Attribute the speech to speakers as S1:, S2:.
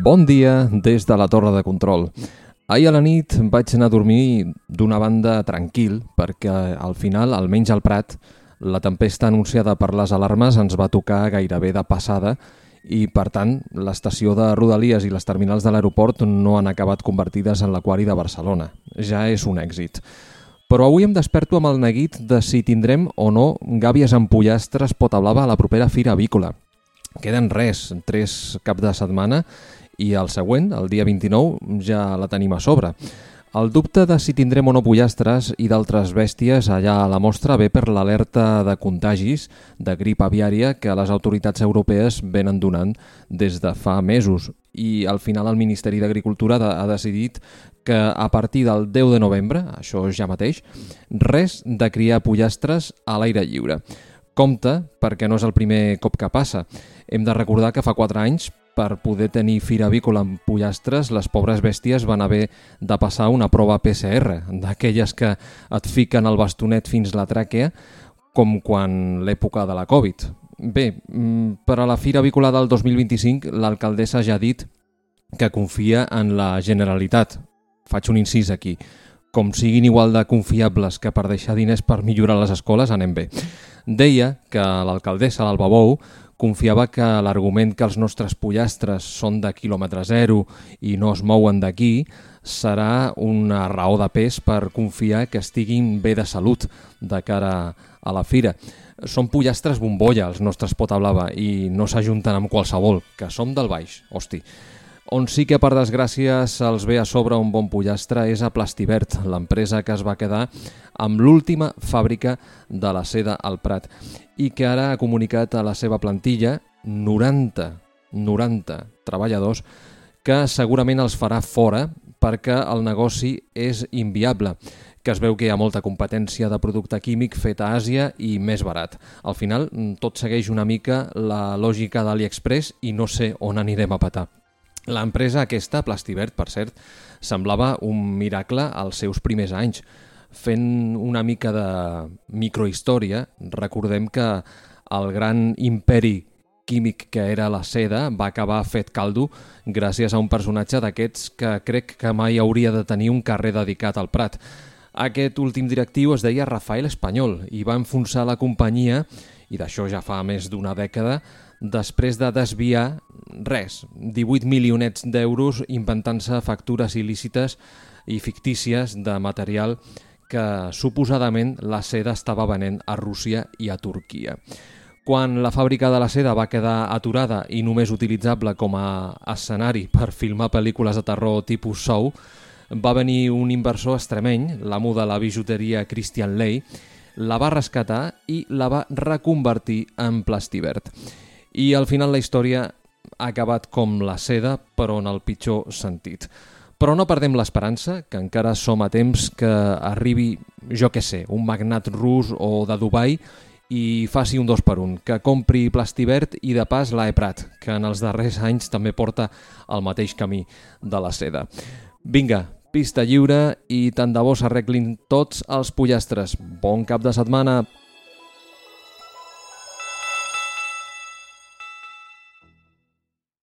S1: Bon dia des de la torre de control. Ahir a la nit vaig anar a dormir d'una banda tranquil perquè al final, almenys al Prat, la tempesta anunciada per les alarmes ens va tocar gairebé de passada i, per tant, l'estació de Rodalies i les terminals de l'aeroport no han acabat convertides en l'aquari de Barcelona. Ja és un èxit. Però avui em desperto amb el neguit de si tindrem o no gàbies amb pollastres pota blava a la propera fira avícola. Queden 3 caps de setmana i el següent, el dia 29, ja la tenim a sobre. El dubte de si tindrem o no pollastres i d'altres bèsties allà a la mostra ve per l'alerta de contagis de grip aviària que les autoritats europees venen donant des de fa mesos. I al final el Ministeri d'Agricultura ha decidit que a partir del 10 de novembre, això ja mateix, res de criar pollastres a l'aire lliure. Compte, perquè no és el primer cop que passa. Hem de recordar que fa 4 anys, per poder tenir fira avícola amb pollastres, les pobres bèsties van haver de passar una prova PCR, d'aquelles que et fiquen el bastonet fins la tràquea, com quan l'època de la Covid. Bé, per a la fira avícola del 2025, l'alcaldessa ja ha dit que confia en la Generalitat. Faig un incís aquí. Com siguin igual de confiables que per deixar diners per millorar les escoles, anem bé. Deia que l'alcaldessa d'Alba Bou confiava que l'argument que els nostres pollastres són de quilòmetre zero i no es mouen d'aquí serà una raó de pes per confiar que estiguin bé de salut de cara a la fira. Són pollastres bombolla, els nostres pota blava, i no s'ajunten amb qualsevol, que som del baix, hosti. On sí que, per desgràcia, se'ls ve a sobre un bon pollastre és a Plastivert, l'empresa que es va quedar amb l'última fàbrica de la seda al Prat i que ara ha comunicat a la seva plantilla 90 treballadors que segurament els farà fora perquè el negoci és inviable, que es veu que hi ha molta competència de producte químic fet a Àsia i més barat. Al final, tot segueix una mica la lògica d'AliExpress i no sé on anirem a petar. L'empresa aquesta, Plastivert, per cert, semblava un miracle als seus primers anys. Fent una mica de microhistòria, recordem que el gran imperi químic que era la seda va acabar fet caldo gràcies a un personatge d'aquests que crec que mai hauria de tenir un carrer dedicat al Prat. Aquest últim directiu es deia Rafael Espanyol i va enfonsar la companyia, i d'això ja fa més d'una dècada, després de desviar 18 milionets d'euros inventant-se factures il·lícites i fictícies de material que suposadament la seda estava venent a Rússia i a Turquia. Quan la fàbrica de la seda va quedar aturada i només utilitzable com a escenari per filmar pel·lícules de terror tipus Saw, va venir un inversor extremeny, l'amo de la bijuteria Christian Ley, la va rescatar i la va reconvertir en Plastivert. I al final la història ha acabat com la seda, però en el pitjor sentit. Però no perdem l'esperança, que encara som a temps que arribi, jo què sé, un magnat rus o de Dubai i faci un 2x1, que compri Plastivert i de pas la Eprat, que en els darrers anys també porta el mateix camí de la seda. Vinga, pista lliure i tant de bo s'arreglin tots els pollastres. Bon cap de setmana!